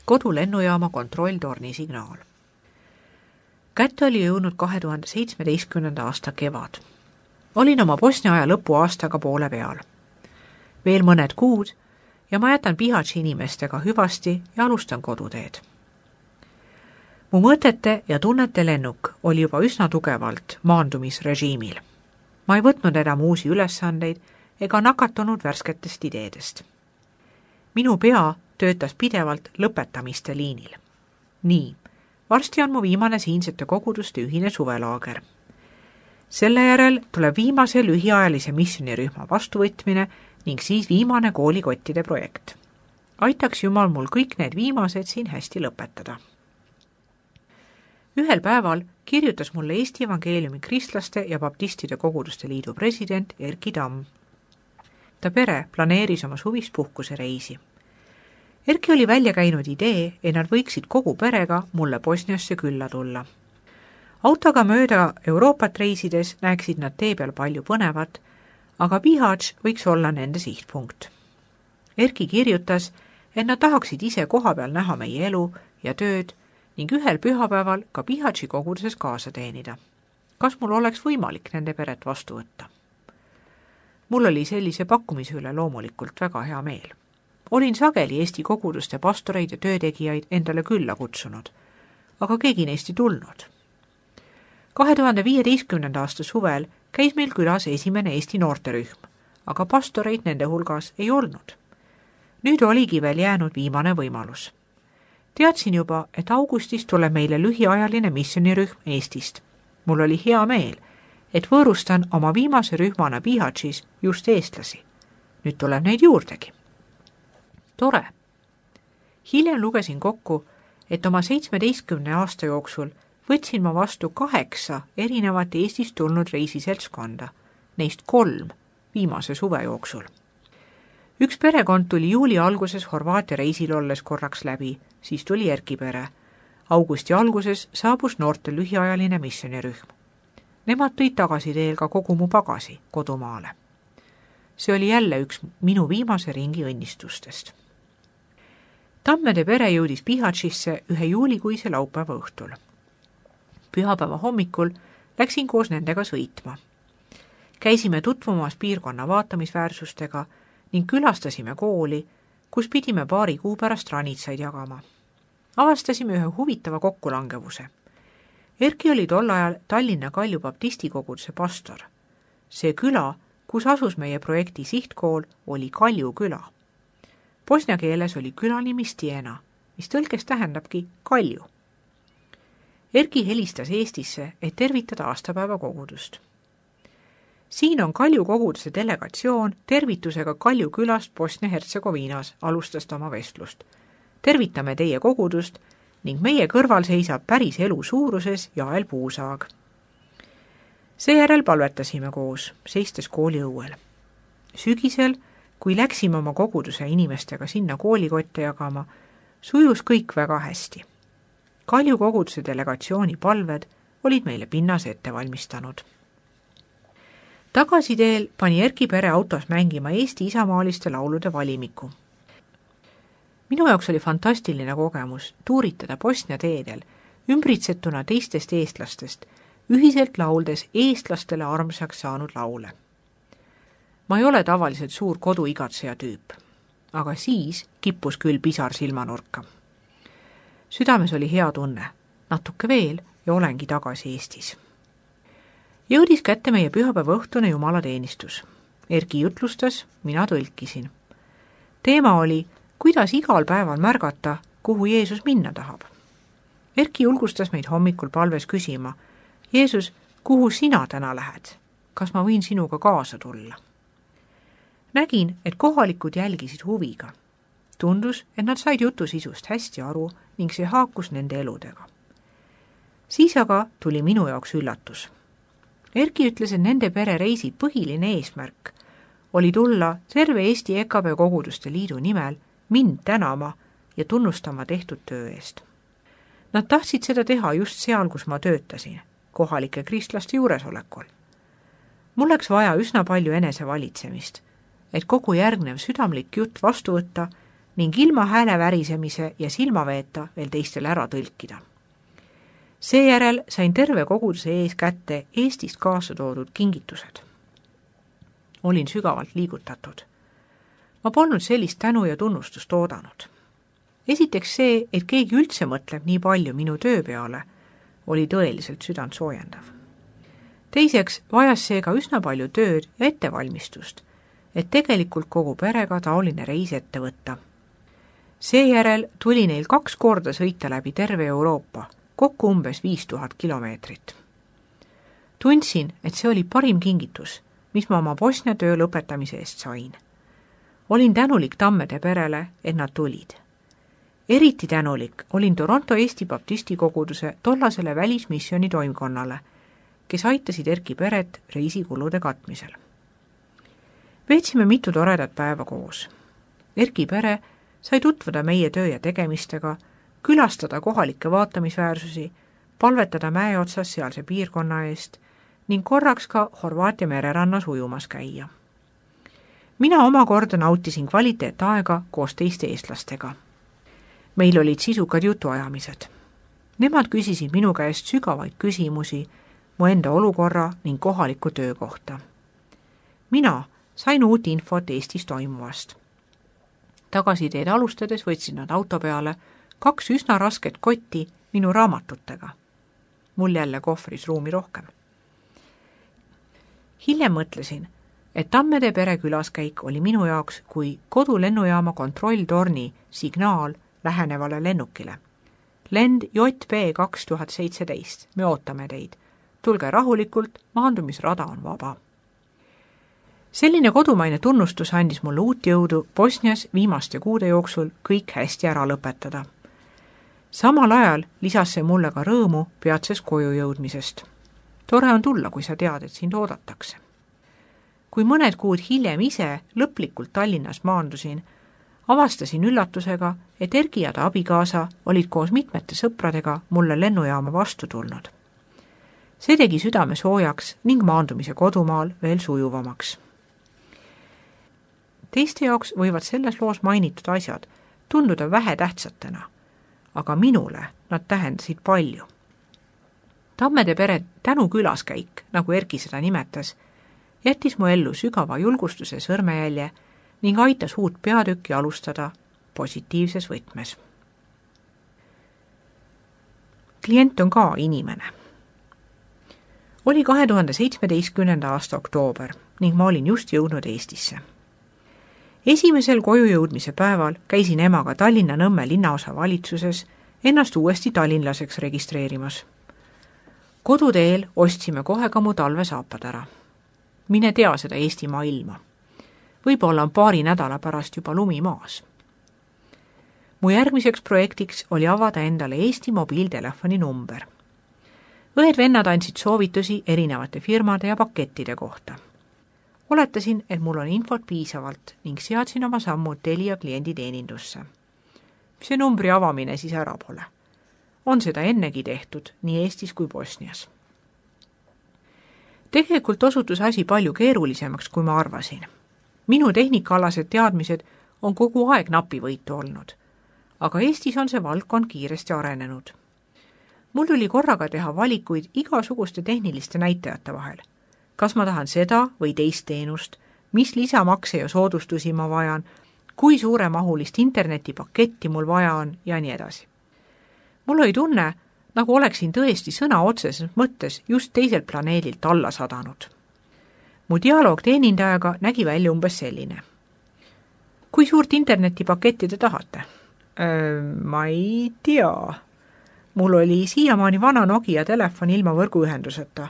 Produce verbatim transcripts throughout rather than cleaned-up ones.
kodu lennujaama kontrolltorni signaal. Kätte oli jõudnud kahe tuhande seitsmeteistkümnenda aasta kevad. Olin oma Bosnia aja lõpuaastaga poole peal. Veel mõned kuud ja ma jätan Bihaći inimestega hüvasti ja alustan koduteed. Mu mõtete ja tunnete lennuk oli juba üsna tugevalt maandumisrežiimil. Ma ei võtnud enam uusi ülesandeid ega nakatunud värsketest ideedest. Minu pea töötas pidevalt lõpetamiste liinil. Nii, varsti on mu viimane siinsete koguduste ühine suvelaager. Selle järel tuleb viimase lühiajalise missionirühma vastuvõtmine ning siis viimane koolikottide projekt. Aitaks Jumal mul kõik need viimased siin hästi lõpetada. Ühel päeval kirjutas mulle Eesti Evangeeliumi Kristlaste ja Baptistide Koguduste Liidu president Erki Tamm. Ta pere planeeris oma suvist puhkuse reisi. Erki oli välja käinud idee, et nad võiksid kogu perega mulle Bosniasse külla tulla. Autoga mööda Euroopat reisides näeksid nad tee peal palju põnevat, aga Bihać võiks olla nende sihtpunkt. Erki kirjutas, et nad tahaksid ise koha peal näha meie elu ja tööd ning ühel pühapäeval ka Bihaći koguduses kaasa teenida. Kas mul oleks võimalik nende peret vastu võtta? Mul oli sellise pakkumise üle loomulikult väga hea meel. Olin sageli Eesti koguduste pastoreid ja töötegijaid endale külla kutsunud, aga keegi neist ei tulnud. kahe tuhande viieteistkümnenda aasta suvel käis meil külas esimene Eesti noorterühm, aga pastoreid nende hulgas ei olnud. Nüüd oligi veel jäänud viimane võimalus. Teadsin juba, et augustis tuleb meile lühiajaline missionirühm Eestist. Mul oli hea meel, et võõrustan oma viimase rühmana Bihaćis just eestlasi. Nüüd tuleb neid juurdegi. Tore. Hiljem lugesin kokku, et oma seitsmeteistkümne aasta jooksul võtsin ma vastu kaheksa erinevat Eestist tulnud reisiseltskonda, neist kolm viimase suve jooksul. Üks perekond tuli juuli alguses Horvaatia reisil olles korraks läbi, siis tuli Erki pere. Augusti alguses saabus noorte lühiajaline missionirühm. Nemad tõid tagasi teel ka kogu mu pagasi kodumaale. See oli jälle üks minu viimase ringi õnnistustest. Tammede pere jõudis Bihaćisse ühe juulikuise laupäeva õhtul. Pühapäeva hommikul läksin koos nendega sõitma. Käisime tutvumas piirkonna vaatamisväärsustega ning külastasime kooli, kus pidime paari kuu pärast ranitsaid jagama. Avastasime ühe huvitava kokkulangevuse. Erki oli tol ajal Tallinna Kalju Baptisti koguduse pastor. See küla, kus asus meie projekti sihtkool, oli Kalju küla. Bosnia keeles oli küla nimi Stiena, mis tõlkes tähendabki Kalju. Erki helistas Eestisse, et tervitada aastapäeva kogudust. Siin on Kalju koguduse delegatsioon tervitusega Kalju külast Bosnia-Hertsegoviinas, alustas ta oma vestlust. Tervitame teie kogudust ning meie kõrval seisab päris elu suuruses Jael Puusaag. Seejärel palvetasime koos, seistes kooli õuel. Sügisel, kui läksime oma koguduse inimestega sinna koolikotte jagama, sujus kõik väga hästi. Kalju koguduse delegatsiooni palved olid meile pinnas ette valmistanud. Tagasiteel pani Erki pere autos mängima Eesti isamaaliste laulude valimiku. Minu jaoks oli fantastiline kogemus tuuritada Bosnia teedel, ümbritsetuna teistest eestlastest, ühiselt lauldes eestlastele armsaks saanud laule. Ma ei ole tavaliselt suur koduigatseja tüüp, aga siis kippus küll pisar silmanurka. Südames oli hea tunne, natuke veel ja olengi tagasi Eestis. Jõudis kätte meie pühapäeva õhtune jumalateenistus. Erki jutlustas, mina tõlkisin. Teema oli, kuidas igal päeval märgata, kuhu Jeesus minna tahab. Erki julgustas meid hommikul palves küsima, Jeesus, kuhu sina täna lähed? Kas ma võin sinuga kaasa tulla? Nägin, et kohalikud jälgisid huviga. Tundus, et nad said jutu sisust hästi aru ning see haakus nende eludega. Siis aga tuli minu jaoks üllatus. Erki ütles, et nende pere reisi põhiline eesmärk oli tulla terve Eesti E K B Koguduste Liidu nimel mind tänama ja tunnustama tehtud töö eest. Nad tahtsid seda teha just seal, kus ma töötasin, kohalike kristlaste juuresolekul. Mul läks vaja üsna palju enesevalitsemist, et kogu järgnev südamlik jutt vastu võtta ning ilma hääle värisemise ja silmaveeta veel teistele ära tõlkida. Seejärel sain terve koguduse ees kätte Eestist kaasa toodud kingitused. Olin sügavalt liigutatud. Ma polnud sellist tänu ja tunnustust oodanud. Esiteks see, et keegi üldse mõtleb nii palju minu töö peale, oli tõeliselt südant soojendav. Teiseks vajas see ka üsna palju tööd ja ettevalmistust, et tegelikult kogu perega taoline reis ette võtta. Seejärel tuli neil kaks korda sõita läbi terve Euroopa, kokku umbes viis tuhat kilomeetrit. Tundsin, et see oli parim kingitus, mis ma oma Bosnia töö lõpetamise eest sain. Olin tänulik Tammede perele, et nad tulid. Eriti tänulik olin Toronto Eesti Baptisti koguduse tollasele välismissiooni toimkonnale, kes aitasid Erki peret reisikulude katmisel. Veetsime mitu toredat päeva koos. Erki pere sai tutvuda meie töö ja tegemistega, külastada kohalikke vaatamisväärsusi, palvetada mäe otsas sealse piirkonna eest ning korraks ka Horvaatia mererannas ujumas käia. Mina omakorda nautisin kvaliteetaega koos teiste eestlastega. Meil olid sisukad jutuajamised. Nemad küsisid minu käest sügavaid küsimusi mu enda olukorra ning kohaliku töö kohta. Mina sain uut infot Eestis toimuvast. Tagasiteed alustades võtsin nad auto peale kaks üsna rasket kotti minu raamatutega. Mul jälle kohvris ruumi rohkem. Hiljem mõtlesin, et Tammede pere külaskäik oli minu jaoks kui kodulennujaama kontrolltorni signaal lähenevale lennukile. Lend J B kaks tuhat seitseteist, me ootame teid. Tulge rahulikult, maandumisrada on vaba. Selline kodumaine tunnustus andis mulle uut jõudu Bosnias viimaste kuude jooksul kõik hästi ära lõpetada. Samal ajal lisas see mulle ka rõõmu peatses koju jõudmisest. Tore on tulla, kui sa tead, et sind oodatakse. Kui mõned kuud hiljem ise lõplikult Tallinnas maandusin, avastasin üllatusega, et Erki ja ta abikaasa olid koos mitmete sõpradega mulle lennujaama vastu tulnud. See tegi südame soojaks ning maandumise kodumaal veel sujuvamaks. Teiste jaoks võivad selles loos mainitud asjad tunduda vähe tähtsatena, aga minule nad tähendasid palju. Tammede pere tänu külaskäik, nagu Erki seda nimetas, jättis mu ellu sügava julgustuse sõrmejälje ning aitas uut peatükki alustada positiivses võtmes. Klient on ka inimene. Oli kahe tuhande seitsmeteistkümnenda aasta oktoober ning ma olin just jõudnud Eestisse. Esimesel koju jõudmise päeval käisin emaga Tallinna Nõmme linnaosa valitsuses ennast uuesti tallinlaseks registreerimas. Koduteel ostsime kohe ka mu talvesaapad ära. Mine tea seda Eestimaa ilma. Võib-olla on paari nädala pärast juba lumi maas. Mu järgmiseks projektiks oli avada endale Eesti mobiiltelefoni number. Õed-vennad andsid soovitusi erinevate firmade ja pakettide kohta. Oletasin, et mul on infot piisavalt ning seadsin oma sammud Telia klienditeenindusse. See numbri avamine siis ära pole. On seda ennegi tehtud nii Eestis kui Bosnias. Tegelikult osutus asi palju keerulisemaks, kui ma arvasin. Minu tehnikaalased teadmised on kogu aeg napivõitu olnud, aga Eestis on see valdkond kiiresti arenenud. Mul tuli korraga teha valikuid igasuguste tehniliste näitajate vahel. Kas ma tahan seda või teist teenust, mis lisamakse ja soodustusi ma vajan, kui suuremahulist internetipaketti mul vaja on ja nii edasi. Mul oli tunne, nagu oleksin tõesti sõna otseses mõttes just teiselt planeedilt alla sadanud. Mu dialoog teenindajaga nägi välja umbes selline. Kui suurt internetipaketti te tahate? Öö, ma ei tea. Mul oli siiamaani vana Nokia telefon ilma võrguühenduseta,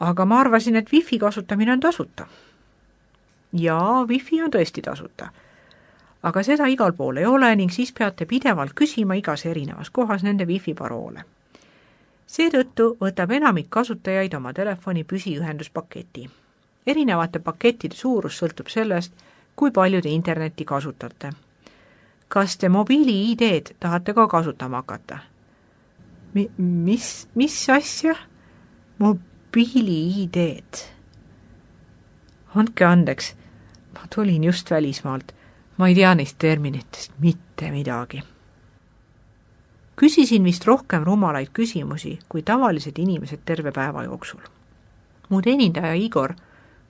aga ma arvasin, et wifi kasutamine on tasuta. Jaa, wifi on tõesti tasuta, aga seda igal pool ei ole ning siis peate pidevalt küsima igas erinevas kohas nende wifi paroole. Seetõttu võtab enamik kasutajaid oma telefoni püsiühenduspaketi. Erinevate pakettide suurus sõltub sellest, kui palju te internetti kasutate. Kas te mobiili I D-d tahate ka kasutama hakata? Mi, mis, mis asja? Mobiili I D-d. Andke andeks, ma tulin just välismaalt. Ma ei tea neist terminitest mitte midagi. Küsisin vist rohkem rumalaid küsimusi kui tavalised inimesed terve päeva jooksul. Mu teenindaja Igor,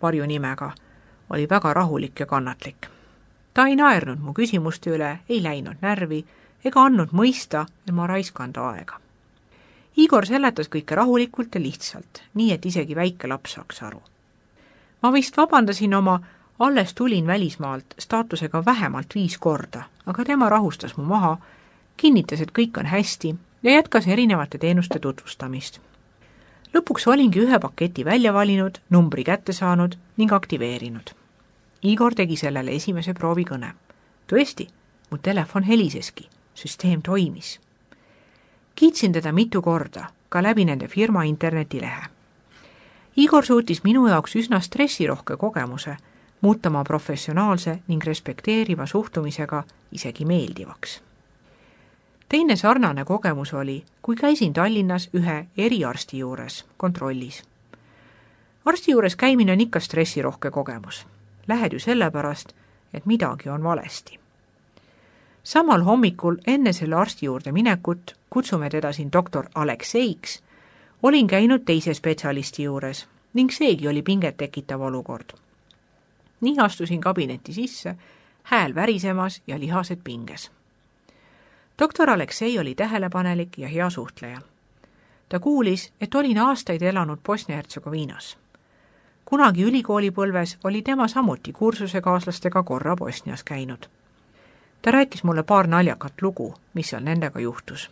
varju nimega, oli väga rahulik ja kannatlik. Ta ei naernud mu küsimuste üle, ei läinud närvi ega andnud mõista, et ma raiskan ta aega. Igor seletas kõike rahulikult ja lihtsalt, nii et isegi väike laps saaks aru. Ma vist vabandasin oma alles tulin välismaalt staatusega vähemalt viis korda, aga tema rahustas mu maha, kinnitas, et kõik on hästi ja jätkas erinevate teenuste tutvustamist. Lõpuks olingi ühe paketi välja valinud, numbri kätte saanud ning aktiveerinud. Igor tegi sellele esimese proovikõne. Tõesti, mu telefon heliseski, süsteem toimis. Kiitsin teda mitu korda, ka läbi nende firma internetilehe. Igor suutis minu jaoks üsna stressirohke kogemuse, muutama professionaalse ning respekteeriva suhtumisega isegi meeldivaks. Teine sarnane kogemus oli, kui käisin Tallinnas ühe eriarsti juures kontrollis. Arsti juures käimine on ikka stressirohke kogemus. Lähed ju sellepärast, et midagi on valesti. Samal hommikul enne selle arsti juurde minekut, kutsume teda siin doktor Alekseiks, olin käinud teise spetsialisti juures ning seegi oli pinget tekitav olukord. Nii astusin kabinetti sisse, hääl värisemas ja lihased pinges. Doktor Aleksei oli tähelepanelik ja hea suhtleja. Ta kuulis, et olin aastaid elanud Bosnia-Hertsegoviinas. Kunagi ülikoolipõlves oli tema samuti kursusekaaslastega korra Bosnias käinud. Ta rääkis mulle paar naljakat lugu, mis seal nendega juhtus.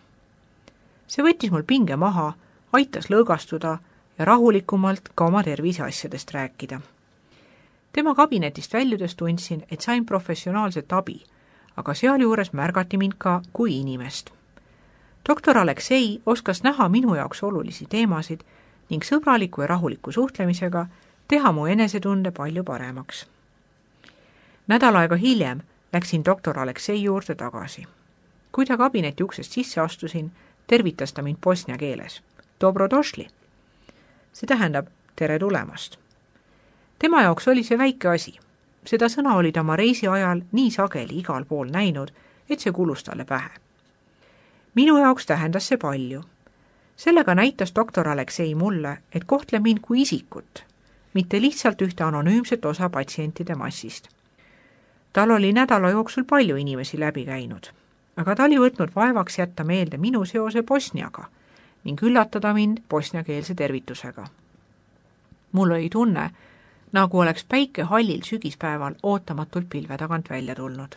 See võttis mul pinge maha, aitas lõõgastuda ja rahulikumalt ka oma terviseasjadest rääkida. Tema kabinetist väljudes tundsin, et sain professionaalset abi, aga sealjuures märgati mind ka kui inimest. Doktor Aleksei oskas näha minu jaoks olulisi teemasid ning sõbraliku ja rahuliku suhtlemisega teha mu enesetunde palju paremaks. Nädal aega hiljem läksin doktor Aleksei juurde tagasi. Kui ta kabineti uksest sisse astusin, tervitas ta mind bosnia keeles. Dobrodošli. See tähendab tere tulemast. Tema jaoks oli see väike asi. Seda sõna oli ta oma reisi ajal nii sageli igal pool näinud, et see kulus talle pähe. Minu jaoks tähendas see palju. Sellega näitas doktor Aleksei mulle, et kohtle mind kui isikut, mitte lihtsalt ühte anonüümset osa patsientide massist. Tal oli nädala jooksul palju inimesi läbi käinud, aga ta oli võtnud vaevaks jätta meelde minu seose Bosniaga ning üllatada mind bosniakeelse tervitusega. Mul oli tunne, nagu oleks päike hallil sügispäeval ootamatult pilve tagant välja tulnud.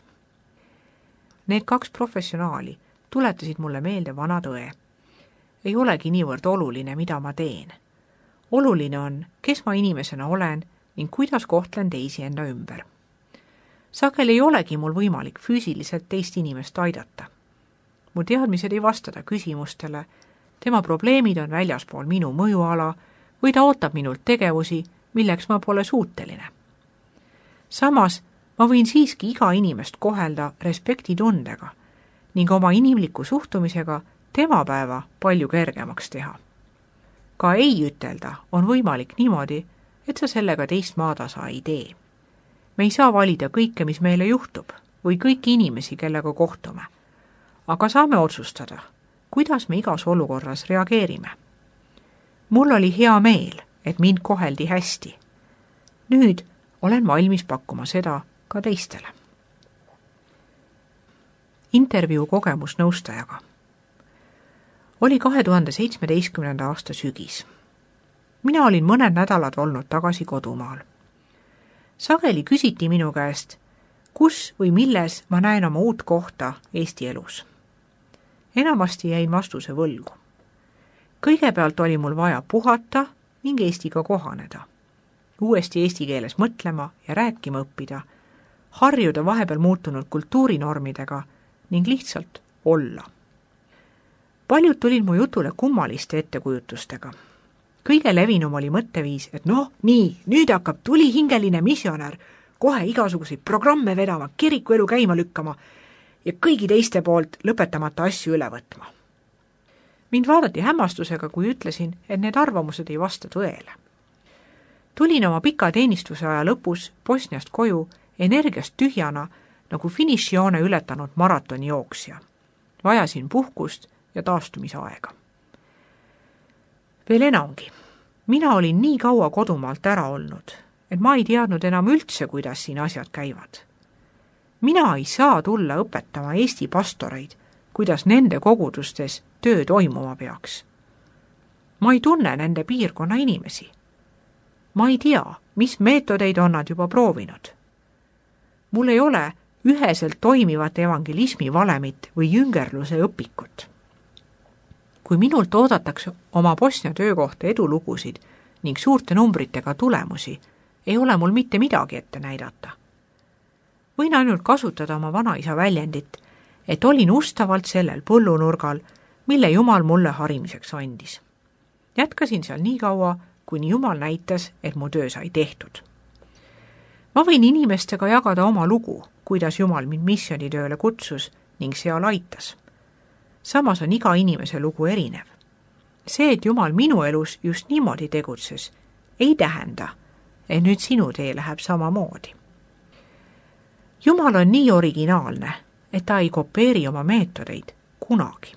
Need kaks professionaali tuletasid mulle meelde vana tõe. Ei olegi niivõrd oluline, mida ma teen. Oluline on, kes ma inimesena olen ning kuidas kohtlen teisi enda ümber. Sageli ei olegi mul võimalik füüsiliselt teist inimest aidata. Mu teadmised ei vastada küsimustele, tema probleemid on väljaspool minu mõjuala või ta ootab minult tegevusi, milleks ma pole suuteline. Samas ma võin siiski iga inimest kohelda respektitundega ning oma inimliku suhtumisega tema päeva palju kergemaks teha. Ka ei ütelda on võimalik niimoodi, et sa sellega teist maatasa ei tee. Me ei saa valida kõike, mis meile juhtub või kõiki inimesi, kellega kohtume, aga saame otsustada, kuidas me igas olukorras reageerime. Mul oli hea meel, et mind koheldi hästi. Nüüd olen valmis pakkuma seda ka teistele. Intervjuu kogemus nõustajaga. Oli kahe tuhande seitsmeteistkümnenda aasta sügis. Mina olin mõned nädalad olnud tagasi kodumaal. Sageli küsiti minu käest, kus või milles ma näen oma uut kohta Eesti elus. Enamasti jäin vastuse võlgu. Kõigepealt oli mul vaja puhata ning Eestiga kohaneda. Uuesti eesti keeles mõtlema ja rääkima õppida, harjuda vahepeal muutunud kultuurinormidega ning lihtsalt olla. Paljud tulid mu jutule kummaliste ettekujutustega. Kõige levinum oli mõtteviis, et noh, nii, nüüd hakkab tulihingeline missionär kohe igasuguseid programme vedama, kiriku elu käima lükkama ja kõigi teiste poolt lõpetamata asju üle võtma. Mind vaadati hämmastusega, kui ütlesin, et need arvamused ei vasta tõele. Tulin oma pika teenistuse aja lõpus Bosniast koju energiast tühjana nagu finišijoone ületanud maratonijooksja. Vajasin puhkust ja taastumisaega. Veel enamgi. Mina olin nii kaua kodumaalt ära olnud, et ma ei teadnud enam üldse, kuidas siin asjad käivad. Mina ei saa tulla õpetama Eesti pastoreid, kuidas nende kogudustes töö toimuma peaks. Ma ei tunne nende piirkonna inimesi. Ma ei tea, mis meetodeid on nad juba proovinud. Mul ei ole üheselt toimivat evangelismi valemit või jüngerluse õpikut. Kui minult oodatakse oma Bosnia töökohta edulugusid ning suurte numbritega tulemusi, ei ole mul mitte midagi ette näidata. Võin ainult kasutada oma vanaisa väljendit, et olin ustavalt sellel põllunurgal, mille Jumal mulle harimiseks andis. Jätkasin seal nii kaua, kuni Jumal näitas, et mu töö sai tehtud. Ma võin inimestega jagada oma lugu, kuidas Jumal mind missionitööle kutsus ning seal aitas. Samas on iga inimese lugu erinev. See, et Jumal minu elus just niimoodi tegutses, ei tähenda, et nüüd sinu tee läheb samamoodi. Jumal on nii originaalne, et ta ei kopeeri oma meetodeid kunagi.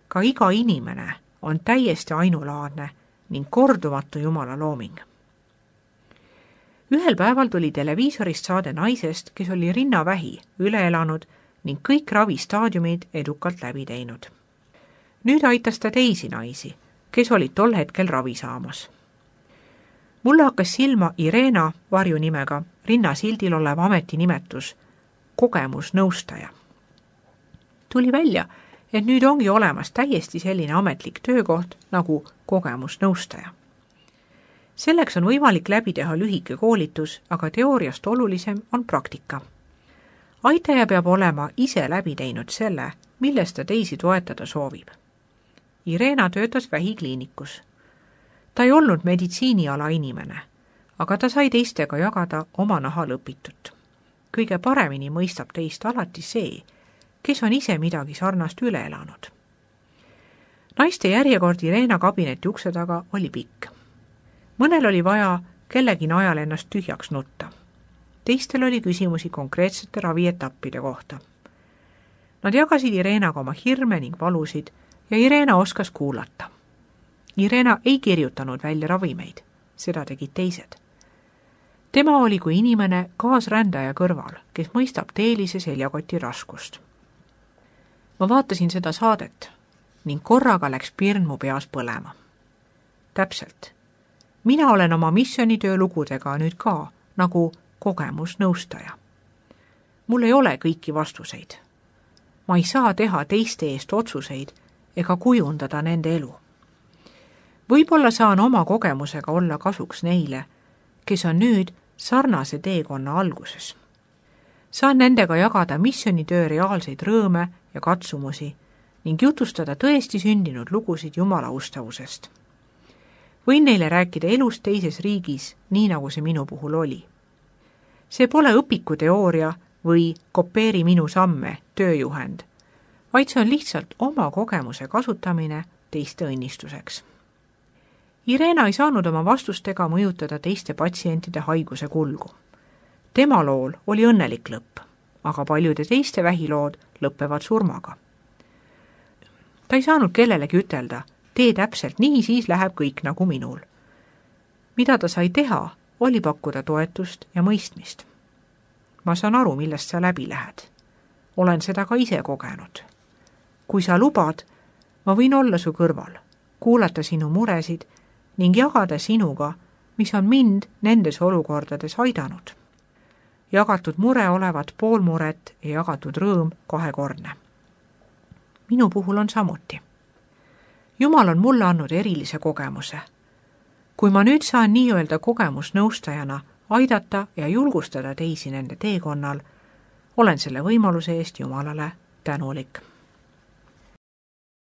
Ka iga inimene on täiesti ainulaadne ning kordumatu Jumala looming. Ühel päeval tuli televiisorist saade naisest, kes oli rinnavähi üle elanud ning kõik ravistaadiumid edukalt läbi teinud. Nüüd aitas ta teisi naisi, kes olid tol hetkel ravi saamas. Mulle hakkas silma Irena varjunimega rinnasildil olev ametinimetus kogemusnõustaja. Tuli välja, et nüüd ongi olemas täiesti selline ametlik töökoht nagu kogemusnõustaja. Selleks on võimalik läbi teha lühike koolitus, aga teooriast olulisem on praktika. Aitaja peab olema ise läbi teinud selle, milles ta teisi toetada soovib. Irena töötas vähikliinikus. Ta ei olnud meditsiiniala inimene, aga ta sai teistega jagada oma nahal õpitut. Kõige paremini mõistab teist alati see, kes on ise midagi sarnast üle elanud. Naiste järjekord Irena kabineti ukse taga oli pikk. Mõnel oli vaja kellegi najal ennast tühjaks nutta. Teistel oli küsimusi konkreetsete ravietappide kohta. Nad jagasid Irenaga oma hirme ning valusid ja Irena oskas kuulata. Irena ei kirjutanud välja ravimeid, seda tegid teised. Tema oli kui inimene kaasrändaja kõrval, kes mõistab teelise seljakoti raskust. Ma vaatasin seda saadet ning korraga läks pirn mu peas põlema. Täpselt. Mina olen oma missionitöö lugudega nüüd ka nagu kogemusnõustaja. Mul ei ole kõiki vastuseid. Ma ei saa teha teiste eest otsuseid ega kujundada nende elu. Võib-olla saan oma kogemusega olla kasuks neile, kes on nüüd sarnase teekonna alguses. Saan nendega jagada missionitöö reaalseid rõõme ja katsumusi ning jutustada tõesti sündinud lugusid Jumala ustavusest. Võin neile rääkida elust teises riigis, nii nagu see minu puhul oli. See pole õpikuteooria või kopeeri minu samme tööjuhend, vaid see on lihtsalt oma kogemuse kasutamine teiste õnnistuseks. Irena ei saanud oma vastustega mõjutada teiste patsientide haiguse kulgu. Tema lool oli õnnelik lõpp, aga paljude teiste vähilood lõppevad surmaga. Ta ei saanud kellelegi ütelda, tee täpselt nii, siis läheb kõik nagu minul. Mida ta sai teha, oli pakkuda toetust ja mõistmist. Ma saan aru, millest sa läbi lähed. Olen seda ka ise kogenud. Kui sa lubad, ma võin olla su kõrval, kuulata sinu muresid ning jagada sinuga, mis on mind nendes olukordades aidanud. Jagatud mure olevat pool muret ja jagatud rõõm kahekordne. Minu puhul on samuti. Jumal on mulle andnud erilise kogemuse. Kui ma nüüd saan nii-öelda kogemusnõustajana aidata ja julgustada teisi nende teekonnal, olen selle võimaluse eest Jumalale tänulik.